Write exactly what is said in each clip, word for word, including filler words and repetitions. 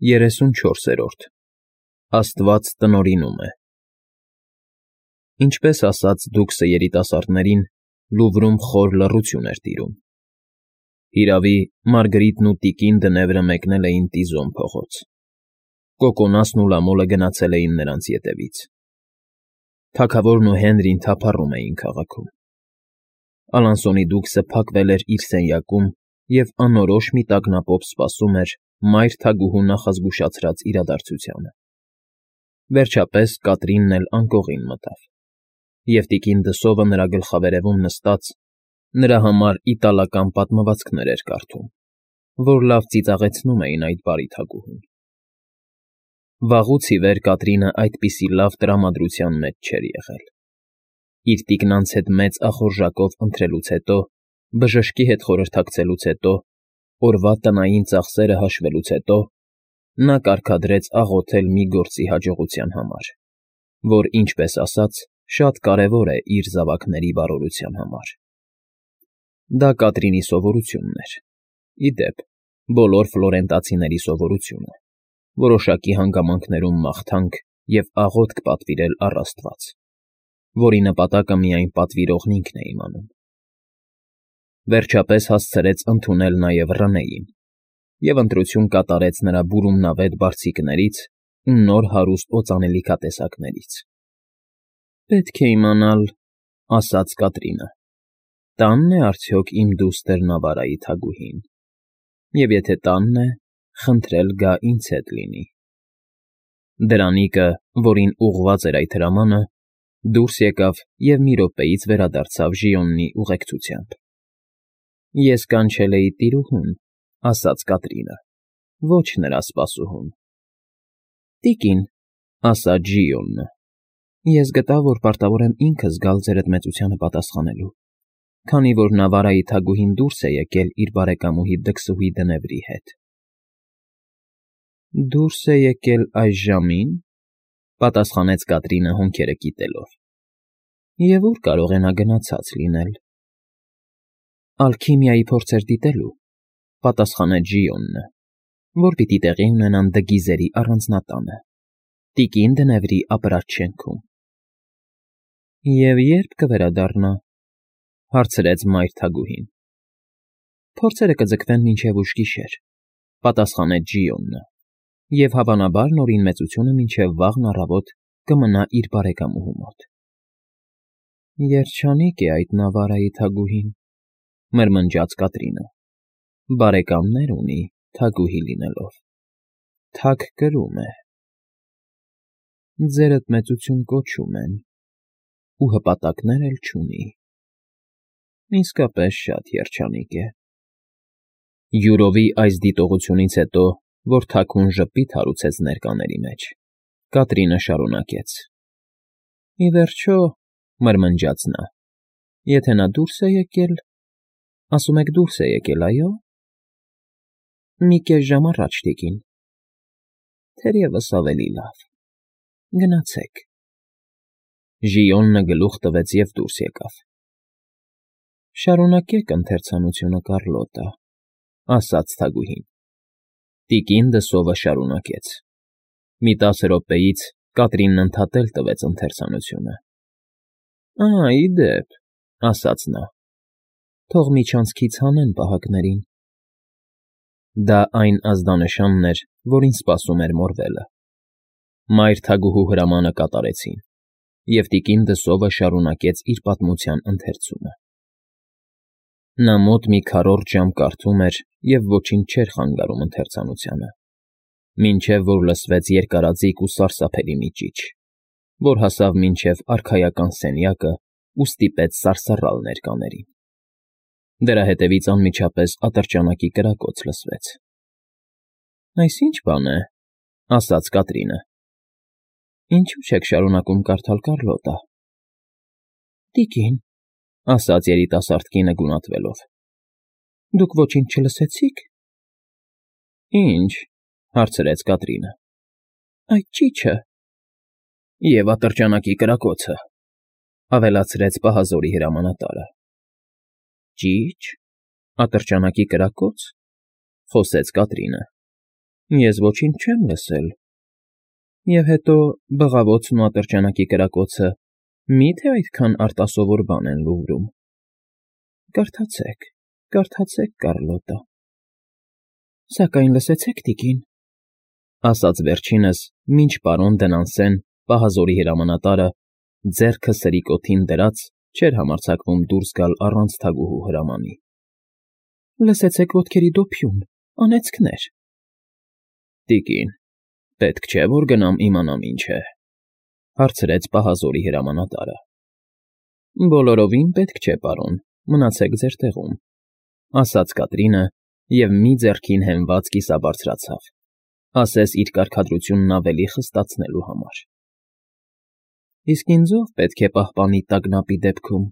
Երեսունչորսերորդ Աստված տնօրինում է Ինչպես ասաց Դուքսը երիտասարդներին, Լուվրում խոր լռություն էր տիրում. հիրավի, Մարգրիտն ու տիկին Դնևրը մեկնել էին Տիզոն փողոց, Կոկոնասն ու Լամոլը գնացել էին նրանց ետևից, թագավորն ու Հենրին թափառում էին քաղաքում, Ալանսոնի Դուքսը փակվել էր իր սենյակում և անորոշ մի տագնապով սպասում էր մայր թագուհու նախազգուշացրած իրադարձությանը. վերջապես Կատրինն էլ անկողին մտավ, և տիկին Դսովը նրա գլխավերևում նստած, նրա համար իտալական պատմվածքներ էր կարդում, որ լավ ծիծաղեցնում էին այդ բարի թագուհուն. վաղուց ի վեր Կատրինը այդպիսի լավ տրամադրության մեջ չէր եղել. իր տիկնանց հետ մեծ ախորժակով ընթրելուց հետո, բժշկի հետ խորհրդակցելուց հետո, օրվա տնային ծախսերը հաշվելուց հետո, նա կարգադրեց աղոթել մի գործի հաջողության համար, որ, ինչպես ասաց, շատ կարևոր է իր զավակների բարօրության համար. Դա Կատրինի սովորությունն էր, ի դեպ, բոլոր ֆլորենտացիների սովորությունը, որոշակի հանգամանքներում մաղթանք և աղոթք պատվիրել առ Աստված, որի նպատակը միայն պատվիրողն ինքն է իմանում. Վերջապես հասցրեց ընդունել նաև Ռնեին և ընտրություն կատարեց նրա բուրումնավետ բարձիկներից ու նոր հարուստ օծանելիքատեսակներից։ ֊ Պետք է իմանալ, ֊ ասաց Կատրինը, ֊ տա՞նն է արդյոք իմ դուստր Նավարայի թագուհին, և եթե տանն է, խնդրել գա ինձ հետ լինի։ Դրանիկը, որին ուղղված էր այդ հրամանը, դուրս եկավ և մի րոպեից վերադարձավ Ժիոնի ուղեկցությամբ։ ֊ Ես կանչել էի տիրուհուն, ֊ ասաց Կատրինը, ֊ ոչ նրա սպասուհուն։ ֊ Տիկին, ֊ ասաց Ժիոնը, ֊ ես գտա, որ պարտավոր եմ ինքս գալ ձեր էդ մեծությանը պատասխանելու, քանի որ Նավարայի թագուհին դուրս է եկել իր բարեկամուհի դքսուհի Դնևրի հետ։ ֊ Դուրս է եկել այժժամի՞ն, ֊ պատասխանեց Կատրինը հոնքերը կիտելով։ ֊ Եվ ո՞ւր կարող է նա գնացած լինել։ ֊ Ալքիմիայի փորձեր դիտելու, ֊ պատասխանեց Ժիոնը, ֊ որ պիտի տեղի ունենան Դգիզերի առանձնատանը, տիկին Դնևրի ապրած շենքում։ ֊ Եվ ե՞րբ կվերադառնա, ֊ հարցրեց մայր թագուհին։ ֊ Փորձերը կձգվեն մինչև ուշ գիշեր, ֊ պատասխանեց Ժիոնը, և հավանաբար Նորին մեծությունը մինչև վաղն առավոտ կմնա իր բարեկամուհու մոտ։ ֊ Երջանիկ է այդ Նավարայի թագուհին, ֊ մրմնջաց Կատրինը, ֊ բարեկամներ ունի, թագուհի լինելով, թագ կրում է։ ֊ Ձերդ մեծություն կոչում են, ու հպատակներ էլ չունի, իսկապես շատ երջանիկ է։ Յուրովի այս դիտողությունից հետո, որ թագուն ժպիտ հարուցեց ներկաների մեջ, Կատրինը շարունակեց. ֊ Ի վերջո, ֊ մրմնջաց նա, ֊ եթե նա դուրս է եկել, ասում եք դուրս է եկել, այո՞։ ֊ Մի կես ժամ առաջ, տիկին։ ֊ Թերևս ավելի լավ, գնացեք։ Ժիոնը գլուխ տվեց և դուրս եկավ։ ֊ Շարունակեք ընթերցանությունը, Կարլոտա, ֊ ասաց թագուհին։ Տիկին Դսովը շարունակեց։ Մի տասը րոպեից Կատրինն ընդհատել տվեց ընթերցանությունը։ ֊ Ա, ի դեպ, ֊ ասաց նա, ֊ թող միջանցքից հանեն պահակներին։ Դա այն ազդանշանն էր, որին սպասում էր Մորվելը։ Մայր թագուհու հրամանը կատարեցին, և տիկին Դսովը շարունակեց իր պատմության ընթերցումը։ Նա մոտ մի քառորդ ժամ կարդում էր և ոչինչ չէր խանգարում ընթերցանությանը, մինչև որ լսվեց երկարաձիգ ու սարսափելի մի ճիչ, որ հասավ մինչև արքայական սենյակն ու ստիպեց սարսռալ ներկաներին։ Դրա հետևից անմիջապես ատրճանակի կրակոց լսվեց։ ֊ Այս ի՞նչ բան է, ֊ ասաց Կատրինը։ ֊ Ինչո՞ւ չեք շարունակում կարդալ, Կարլոտա։ ֊ Տիկին, ֊ ասաց երիտասարդ կինը գունատվելով, ֊ դուք ոչինչ չլսեցի՞ք։ ֊ Ի՞նչ, ֊ հարցրեց Կատրինը։ ֊ Այդ ճիչը։ ֊ Եվ ատրճանակի կրակոցը, ֊ ավելացրեց պահազորի հրամանատարը։ ֊ Ճի՞չ, ատրճանակի կրակո՞ց, ֊ խոսեց Կատրինը։ Ես ոչինչ չեմ լսել։ Եվ հետո բղավոցն ու ատրճանակի կրակոցը մի՞թե այդքան արտասովոր բան են Լուվրում։ Կարդացեք, կարդացեք, Կարլոտա։ Սակայն լսեցեք, տիկին, ասաց վերջինս, մինչ պարոն Դենանսեն, պահազորի հրամանատարը, ձեռքը սրիկոթին դրած, չէր համարձակվում դուրս գալ առանց թագուհու հրամանի։ Լսեցեք ոտքերի դոփյուն, անեծքներ։ Տիկին, պետք չէ, որ գնամ իմանամ ինչ է, հարցրեց պահազորի հրամանատարը։ Բոլորովին պետք չէ, պարոն, մնացեք ձեր տեղում, ասաց Կատրինը և մի ձեռքին հենված կիսաբարձրացավ, ասես իր կարգադրությունն ավելի խստացնելու համար։ Իսկ ինձ ո՞վ պետք է պահպանի տագնապի դեպքում։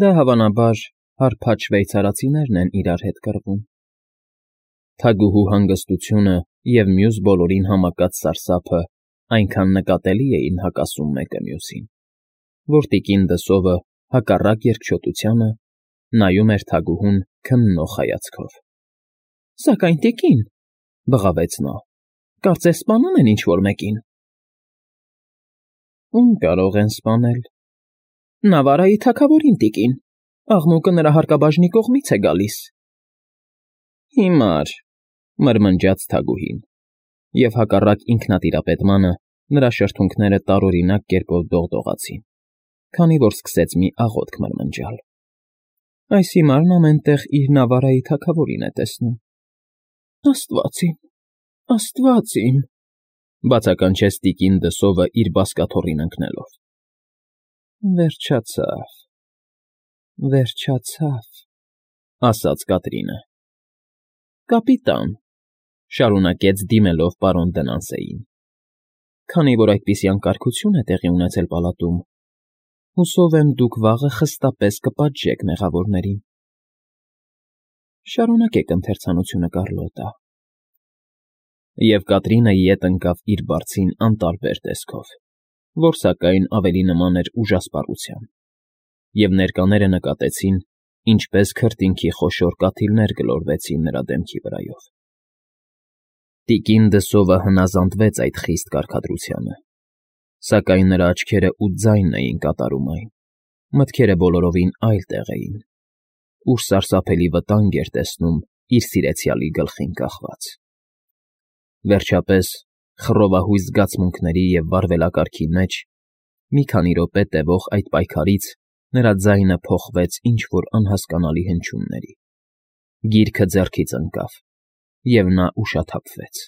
Դա հավանաբար հարբած շվեյցարացիներն են իրար հետ կռվում։ Թագուհու հանգստությունը և մյուս բոլորին համակած սարսափը այնքան նկատելի էին հակասում մեկը մյուսին, որ տիկին Դսովը, հակառակ երկչոտությանը, նայում էր թագուհուն քննող հայացքով։ Սակայն, տիկին, բղավեց նա, կարծես սպանում են ինչ֊որ մեկին։ Ում կարող են սպանել։ Նավարայի թագավորին, տիկին, աղմուկը նրա հարկաբաժնի կողմից է գալիս։ Հիմար, մրմնջաց թագուհին, և հակառակ ինքնատիրապետմանը նրա շրթունքները տարօրինակ կերպով դողդողացին, քանի որ սկսեց մի աղոթք մրմնջալ։ Այս հիմարն ամեն տեղ իր Նավարայի թագավորին է տեսնում։ Աստված իմ, Աստված իմ, բացականչեց տիկին Դսովը իր բազկաթոռին ընկնելով։ Վերջացավ, վերջացավ, ասաց Կատրինը։ Կապիտան, շարունակեց դիմելով պարոն Դենանսեին, քանի որ այդպիսի անկարգություն է տեղի ունեցել պալատում, հուսով եմ դուք վաղը խստապես կպատժեք մեղավորներին։ Շարունակեք ընթերցանությունը, Կարլոտա։ Եվ Կատրինը ետ ընկավ իր բարձին անտարբեր տեսքով, որ սակայն ավելի նման էր ուժասպառության, և ներկաները նկատեցին, ինչպես քրտինքի խոշոր կաթիլներ գլորվեցին նրա դեմքի վրայով։ Տիկին Դսովը հնազանդվեց այդ խիստ կարգադրությանը, սակայն նրա աչքերը ու ձայնն էին կատարում այն, մտքերը բոլորովին այլ տեղ էին, ուր սարսափելի վտանգ էր տեսնում իր սիրեցյալի գլխին կախված։ Վերջապես, խռովահույս զգացմունքների և վարվելակարգի մեջ, մի քանի րոպե տևող այդ պայքարից նրա ձայնը փոխվեց ինչ֊որ անհասկանալի հնչյունների, գիրքը ձեռքից ընկավ, և նա ուշաթափվեց։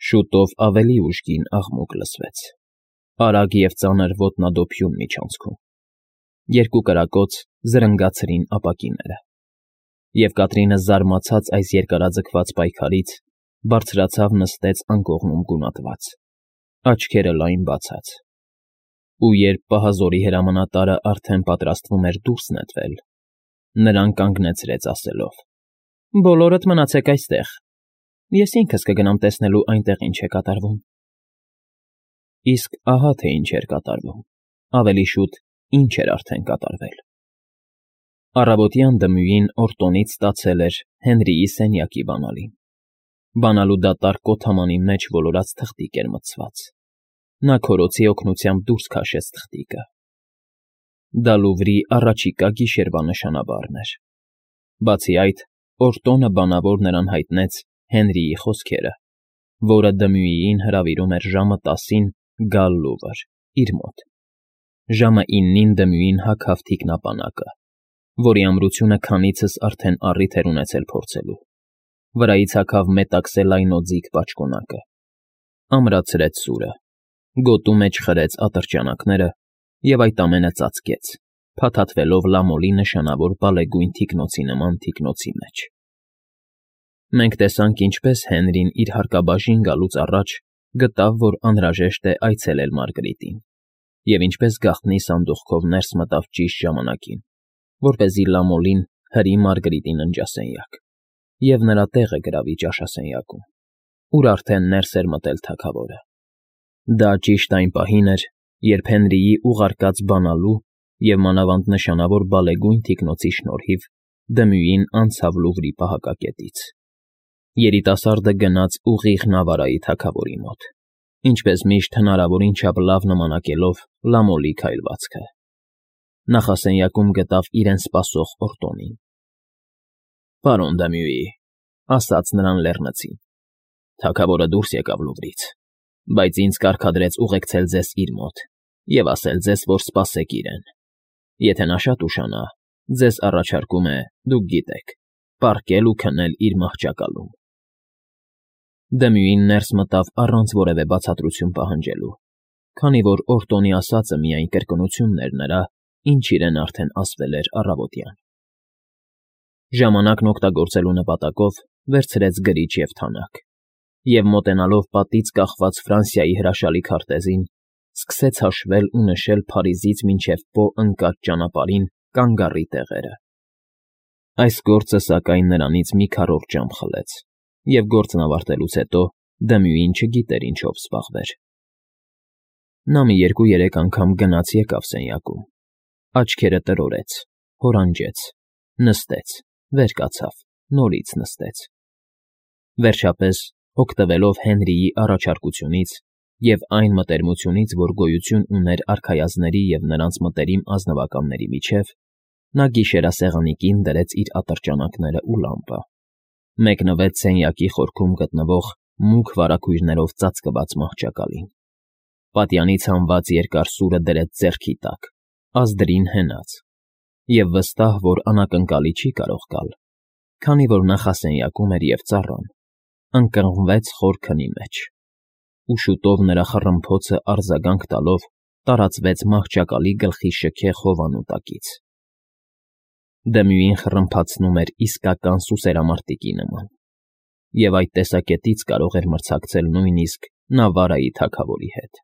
Շուտով ավելի ուժգին աղմուկ լսվեց, արագ և ծանր ոտնադոփյուն միջանցքում, երկու կրակոց զրնգացրին ապակիները, և Կատրինը զարմացած այս երկարաձգված պայքարից բարձրացավ նստեց անկողնում գունատված, աչքերը լայն բացած, ու երբ պահազորի հրամանատարը արդեն պատրաստվում էր դուրս նետվել, նրան կանգնեցրեց ասելով. Բոլորդ մնացեք այստեղ, ես ինքս կգնամ տեսնելու այնտեղ ինչ է կատարվում։ Իսկ ահա թե ինչ էր կատարվում, ավելի շուտ ինչ էր արդեն կատարվել։ Առավոտյան դմույին Օրտոնից ստացել էր Հենրիի սենյակի բանալին։ Բանալու դատարկ կոթամանի մեջ ոլորած թղթիկ էր մտցված։ Նա քորոցի օգնությամբ դուրս քաշեց թղթիկը։ Դա Լուվրի առաջիկա գիշերվա նշանաբառն էր։ Բացի այդ, Օրտոնը բանավոր նրան հայտնեց Հենրիի խոսքերը, որը Դմյուիին հրավիրում էր ժամը տասին գալ Լուվր, իր մոտ։ Ժամը իննին Դմյուին հագավ թիկնապանակը, որի ամրությունը քանիցս արդեն առիթ էր ունեցել փորձելու։ Վրայից հագավ մետաքսե լայնոձիգ պաճկոնակը, ամրացրեց սուրը, գոտու մեջ խրեց ատրճանակները և այդ ամենը ծածկեց, փաթաթվելով լամոլի նշանավոր բալեգույն թիկնոցի նման թիկնոցի մեջ։ Մենք տեսանք, ինչպես Հենրին իր հարկաբաժին գալուց առաջ գտավ, որ անհրաժեշտ է այցելել Մարգրիտին, և ինչպես գաղտնի սանդուղքով ներս մտավ ճիշտ ժամանակին, որպեսզի լամոլին հրի Մարգրիտի ննջասենյակ և նրա տեղը գրավի ճաշասենյակում, ուր արդեն ներս էր մտել թագավորը։ Դա ճիշտ այն պահին էր, երբ Հենրիի ուղարկած բանալու և մանավանդ նշանավոր բալեգույն թիկնոցի շնորհիվ Դմյուին անցավ Լուվրի պահակակետից։ Երիտասարդը գնաց ուղիղ Նավարայի թագավորի մոտ, ինչպես միշտ հնարավորին չափ լավ նմանակելով Լամոլի քայլվածքը. նախասենյակում գտավ իրեն սպասող Օրտոնին։ ֊ Պարոն Դեմյուի,֊ ասաց նրան լեռնցին,֊ թագավորը դուրս եկավ Լուվրից, բայց ինձ կարգադրեց ուղեկցել ձեզ իր մոտ և ասել ձեզ, որ սպասեք իրեն. եթե նա շատ ուշանա, ձեզ առաջարկում է, դուք գիտեք, պառկել ու քնել իր մահճակալում։ Դեմյուին ներս մտավ առանց որևէ բացատրություն պահանջելու, քանի որ Օրտոնի ասածը միայն կրկնությունն էր նրա, ինչ իրեն արդեն ասվել էր առավոտյան։ Ժամանակն օգտագործելու նպատակով վերցրեց գրիչ և թանակ և, մոտենալով պատից կախված Ֆրանսիայի հրաշալի քարտեզին, սկսեց հաշվել ու նշել Փարիզից մինչև Պո ընկած ճանապարհին կանգառի տեղերը։ Այս գործը, սակայն, նրանից մի քառորդ ժամ խլեց, և գործն ավարտելուց հետո Դեմյուին չգիտեր ինչով զբաղվեր։ Նա մի երկու֊երեք անգամ գնաց֊եկավ սենյակում, աչքերը տրորեց, հորանջեց, նստեց, վեր կացավ, նորից նստեց։ Վերջապես, օգտվելով Հենրիի առաջարկությունից և այն մտերմությունից, որ գոյություն ուներ արքայազնների և նրանց մտերիմ ազնվականների միջև, նա գիշերասեղանի կին դրեց իր ատրճանակներն ու լամպը, մեկնվեց սենյակի խորքում գտնվող մուգ վարագույրներով ծածկված մահճակալին, պատյանից հանված երկար սուրը դրեց ձեռքի տակ, ազդրին հենած և, վստահ, որ անակնկալի չի կարող գալ, քանի որ նախասենյակում էր և ծառան, ընկղմվեց խոր քնի մեջ, ու շուտով նրա խռմփոցը արձագանք տալով տարածվեց մահճակալի գլխի շքեղ հովանու տակից։ Դեմյուին խռմփացնում էր իսկական սուսերամարտիկի նման, և այդ տեսակետից կարող էր մրցակցել նույնիսկ Նավարայի թագավորի հետ։